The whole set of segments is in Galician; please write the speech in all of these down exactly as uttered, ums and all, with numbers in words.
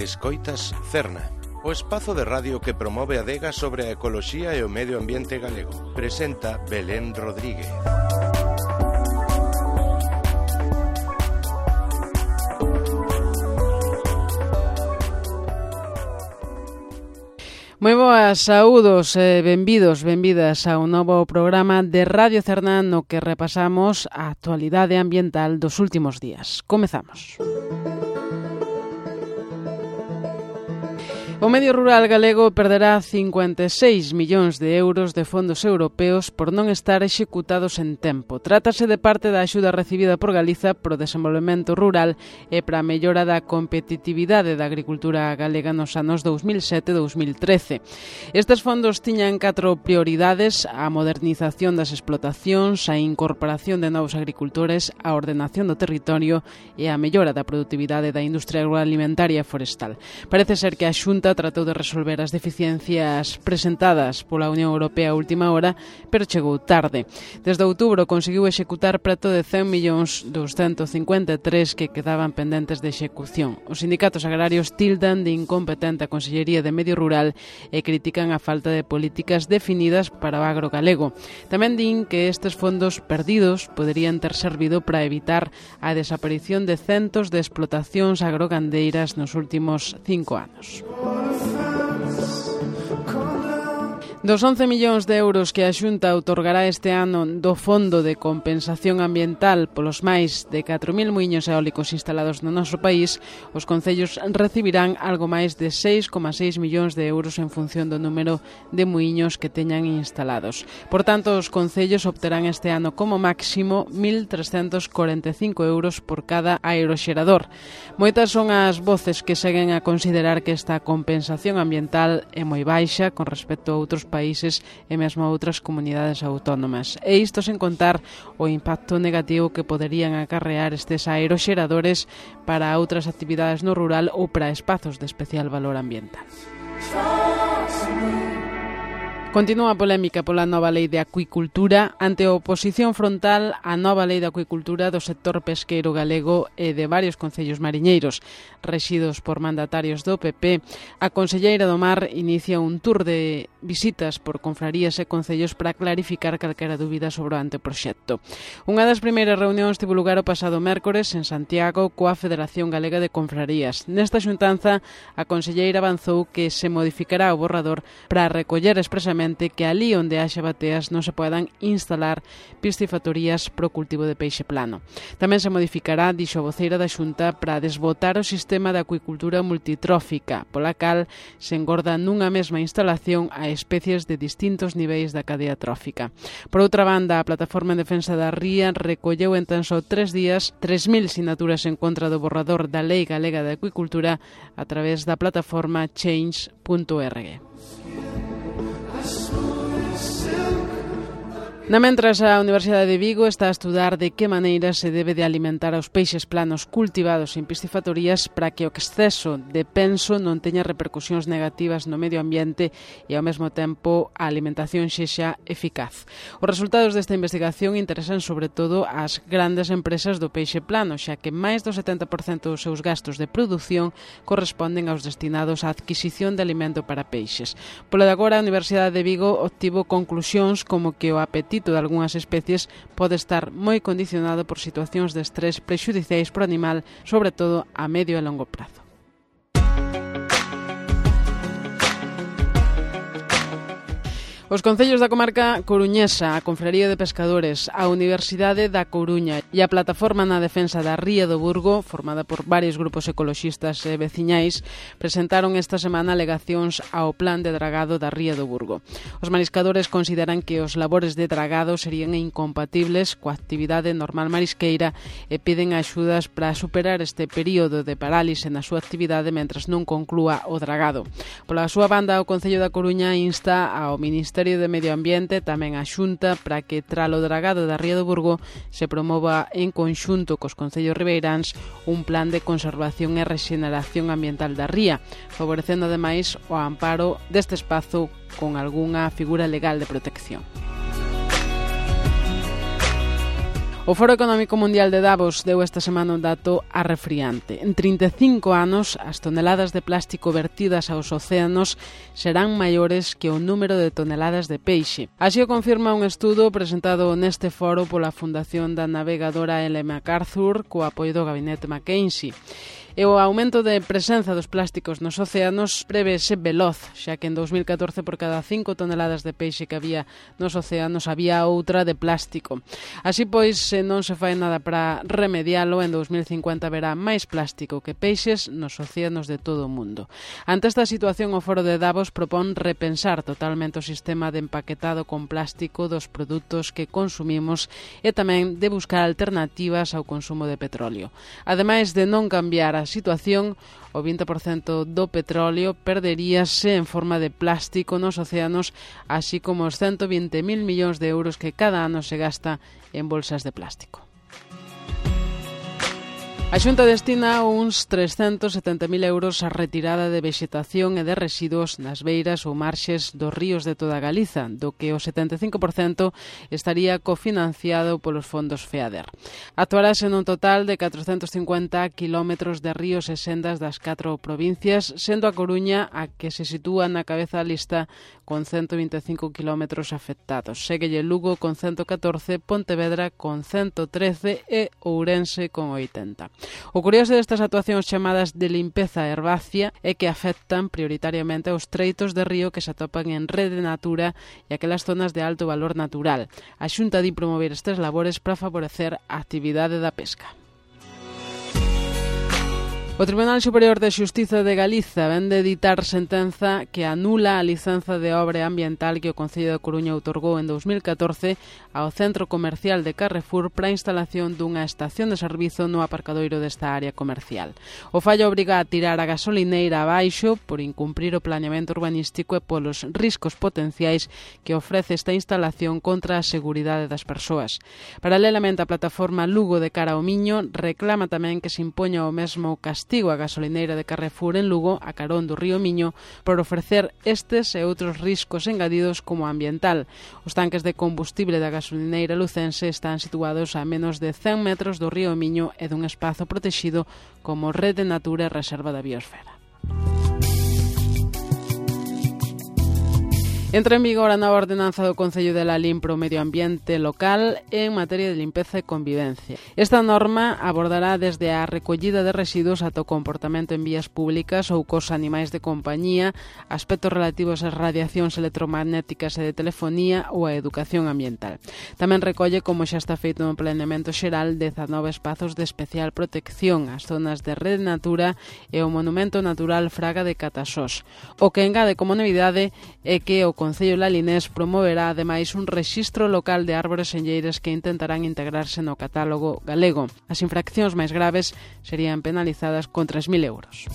Escoitas Cerna, o espazo de radio que promove a adega sobre a ecoloxía e o medio ambiente galego. Presenta Belén Rodríguez. Moi boas, saúdos e benvidos, benvidas a un novo programa de Radio Cerna no que repasamos a actualidade ambiental dos últimos días. Comezamos. O medio rural galego perderá cincuenta e seis millóns de euros de fondos europeos por non estar executados en tempo. Trátase de parte da axuda recibida por Galiza pro desenvolvemento rural e para a mellora da competitividade da agricultura galega nos anos dous mil sete e dous mil trece. Estes fondos tiñan catro prioridades: a modernización das explotacións, a incorporación de novos agricultores, a ordenación do territorio e a mellora da produtividade da industria agroalimentaria e forestal. Parece ser que a Xunta tratou de resolver as deficiencias presentadas pola Unión Europea a última hora, pero chegou tarde. Desde outubro conseguiu executar preto de cen millóns douscentos cincuenta e tres que quedaban pendentes de execución. Os sindicatos agrarios tildan de incompetente a Consellería de Medio Rural e critican a falta de políticas definidas para o agro galego. Tamén din que estes fondos perdidos poderían ter servido para evitar a desaparición de centos de explotacións agrogandeiras nos últimos cinco anos. Dos once millóns de euros que a Xunta outorgará este ano do Fondo de Compensación Ambiental polos máis de catro mil muiños eólicos instalados no noso país, os concellos recibirán algo máis de seis coma seis millóns de euros en función do número de muiños que teñan instalados. Por tanto, os concellos obterán este ano como máximo mil trescentos corenta e cinco euros por cada aeroxerador. Moitas son as voces que seguen a considerar que esta compensación ambiental é moi baixa con respecto a outros países e mesmo a outras comunidades autónomas. E isto sen contar o impacto negativo que poderían acarrear estes aeroxeradores para outras actividades no rural ou para espazos de especial valor ambiental. Continúa a polémica pola nova lei de acuicultura. Ante a oposición frontal á nova lei de acuicultura do sector pesqueiro galego e de varios concellos mariñeiros rexidos por mandatarios do P P, a conselleira do Mar inicia un tour de visitas por confrarías e concellos para clarificar calquera dúbida sobre o anteproxecto. Unha das primeiras reunións tivo lugar o pasado mércores en Santiago coa Federación Galega de Confrarías. Nesta xuntanza, a conselleira avanzou que se modificará o borrador para recoller expresamente que ali onde haxa bateas non se podan instalar piscifactorías pro cultivo de peixe plano. Tamén se modificará, dixo a voceira da Xunta, para desbotar o sistema de acuicultura multitrófica, pola cal se engorda nunha mesma instalación a especies de distintos niveis da cadea trófica. Por outra banda, a Plataforma en Defensa da Ría recolleu en tan só tres días tres mil sinaturas en contra do borrador da Lei Galega de Acuicultura a través da plataforma change punto org. Na mentras, a Universidade de Vigo está a estudar de que maneira se debe de alimentar aos peixes planos cultivados en piscifactorías para que o exceso de penso non teña repercusións negativas no medio ambiente e ao mesmo tempo a alimentación sexa eficaz. Os resultados desta investigación interesan sobre todo ás grandes empresas do peixe plano, xa que máis do setenta por cento dos seus gastos de produción corresponden aos destinados á adquisición de alimento para peixes. Polo de agora, a Universidade de Vigo obtivo conclusións como que o apetito de algunhas especies pode estar moi condicionado por situacións de estrés prexudiciais pro animal, sobre todo a medio e longo prazo. Os concellos da comarca coruñesa, a Confraría de Pescadores, a Universidade da Coruña e a Plataforma na Defensa da Ría do Burgo, formada por varios grupos ecoloxistas e veciñais, presentaron esta semana alegacións ao plan de dragado da Ría do Burgo. Os mariscadores consideran que os labores de dragado serían incompatibles coa actividade normal marisqueira e piden axudas para superar este período de parálise na súa actividade mentras non conclúa o dragado. Pola súa banda, o Concello da Coruña insta ao Ministerio de Medio Ambiente, tamén a Xunta, para que tralo dragado da Ría do Burgo se promova en conxunto cos concellos ribeiráns un plan de conservación e rexeneración ambiental da ría, favorecendo ademais o amparo deste espazo con algunha figura legal de protección. O Foro Económico Mundial de Davos deu esta semana un dato arrefriante. En trinta e cinco anos, as toneladas de plástico vertidas aos océanos serán maiores que o número de toneladas de peixe. Así o confirma un estudo presentado neste foro pola Fundación da Navegadora Ellen MacArthur co apoio do Gabinete McKinsey. E o aumento de presenza dos plásticos nos océanos prevese veloz, xa que en dous mil catorce por cada cinco toneladas de peixe que había nos océanos había outra de plástico. Así pois, se non se fai nada para remedialo, en dous mil cincuenta haberá máis plástico que peixes nos océanos de todo o mundo. Ante esta situación, o Foro de Davos propón repensar totalmente o sistema de empaquetado con plástico dos produtos que consumimos e tamén de buscar alternativas ao consumo de petróleo. Ademais de non cambiar a a situación, o vinte por cento do petróleo perderíase en forma de plástico nos océanos, así como os ciento vinte mil millóns de euros que cada ano se gasta en bolsas de plástico. A Xunta destina uns trescentos setenta mil euros á retirada de vexetación e de residuos nas beiras ou marxes dos ríos de toda Galiza, do que o setenta e cinco por cento estaría cofinanciado polos fondos FEADER. Actuarase nun total de catrocentos cincuenta quilómetros de ríos e sendas das catro provincias, sendo a Coruña a que se sitúa na cabeza da lista con ciento vinte e cinco quilómetros afectados. Séguelle Lugo con ciento catorce, Pontevedra con ciento trece e Ourense con oitenta. O curioso destas actuacións chamadas de limpeza herbácea é que afectan prioritariamente aos treitos de río que se atopan en Rede Natura e aquelas zonas de alto valor natural. A Xunta di promover estes labores para favorecer a actividade da pesca. O Tribunal Superior de Xustiza de Galiza ven de editar sentenza que anula a licenza de obra ambiental que o Concello de Coruña outorgou en dous mil catorce ao Centro Comercial de Carrefour para a instalación dunha estación de servizo no aparcadoiro desta área comercial. O fallo obriga a tirar a gasolineira abaixo por incumprir o planeamento urbanístico e polos riscos potenciais que ofrece esta instalación contra a seguridade das persoas. Paralelamente, a plataforma Lugo de Cara ao Miño reclama tamén que se impoña o mesmo castigo castigo a gasolineira de Carrefour en Lugo, a carón do río Miño, por ofrecer estes e outros riscos engadidos como ambiental. Os tanques de combustible da gasolineira lucense están situados a menos de cen metros do río Miño e dun espazo protexido como Rede Natura e Reserva da Biosfera. Entra en vigor a nova ordenanza do Concello de Lalín para o medio ambiente local en materia de limpeza e convivencia. Esta norma abordará desde a recollida de residuos ata o comportamento en vías públicas ou cos animais de compañía, aspectos relativos ás radiacións electromagnéticas e de telefonía ou a educación ambiental. Tamén recolle, como xa está feito no planeamento xeral, dezanove espazos de especial protección, as zonas de Rede Natura e o Monumento Natural Fraga de Catasós. O que engade como novidade é que o Concello lalinés promoverá ademais un rexistro local de árbores enlleiras que intentarán integrarse no catálogo galego. As infraccións máis graves serían penalizadas con tres mil euros.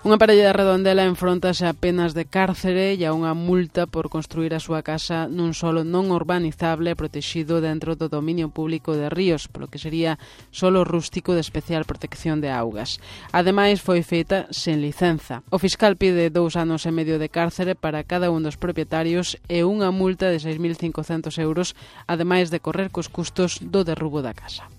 Unha parella de Redondela enfróntase a penas de cárcere e a unha multa por construir a súa casa nun solo non urbanizable protexido dentro do dominio público de Ríos, polo que sería solo rústico de especial protección de augas. Ademais, foi feita sen licenza. O fiscal pide dous anos e medio de cárcere para cada un dos propietarios e unha multa de seis mil cincocentos euros, ademais de correr cos custos do derrubo da casa.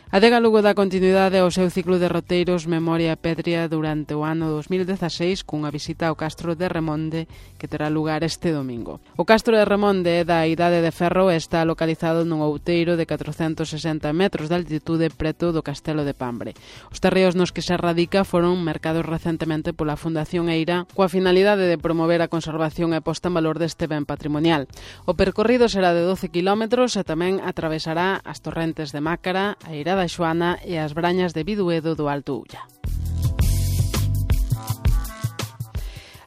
Adega Lugo dá continuidade ao seu ciclo de roteiros Memoria Pétrea durante o ano dos mil dezaseis cunha visita ao Castro de Remonde que terá lugar este domingo. O Castro de Remonde é da Idade de Ferro e está localizado nun outeiro de catrocentos sesenta metros de altitude preto do Castelo de Pambre. Os terreos nos que se radica foron mercados recentemente pola Fundación Eira coa finalidade de promover a conservación e posta en valor deste ben patrimonial. O percorrido será de doce kilómetros e tamén atravesará as torrentes de Mácara, a Eira da Xoana e as brañas de Biduedo do Alto Ulla.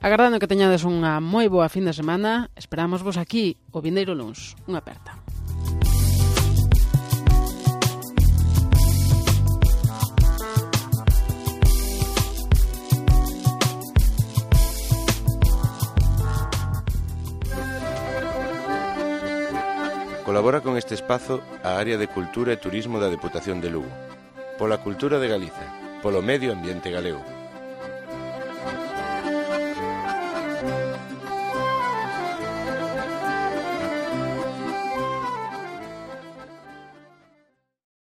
Agardando que teñades unha moi boa fin de semana, esperamos vos aquí o vindeiro luns. Unha aperta. Colabora con este espazo a Área de Cultura e Turismo da Deputación de Lugo. Pola cultura de Galiza, polo medio ambiente galego.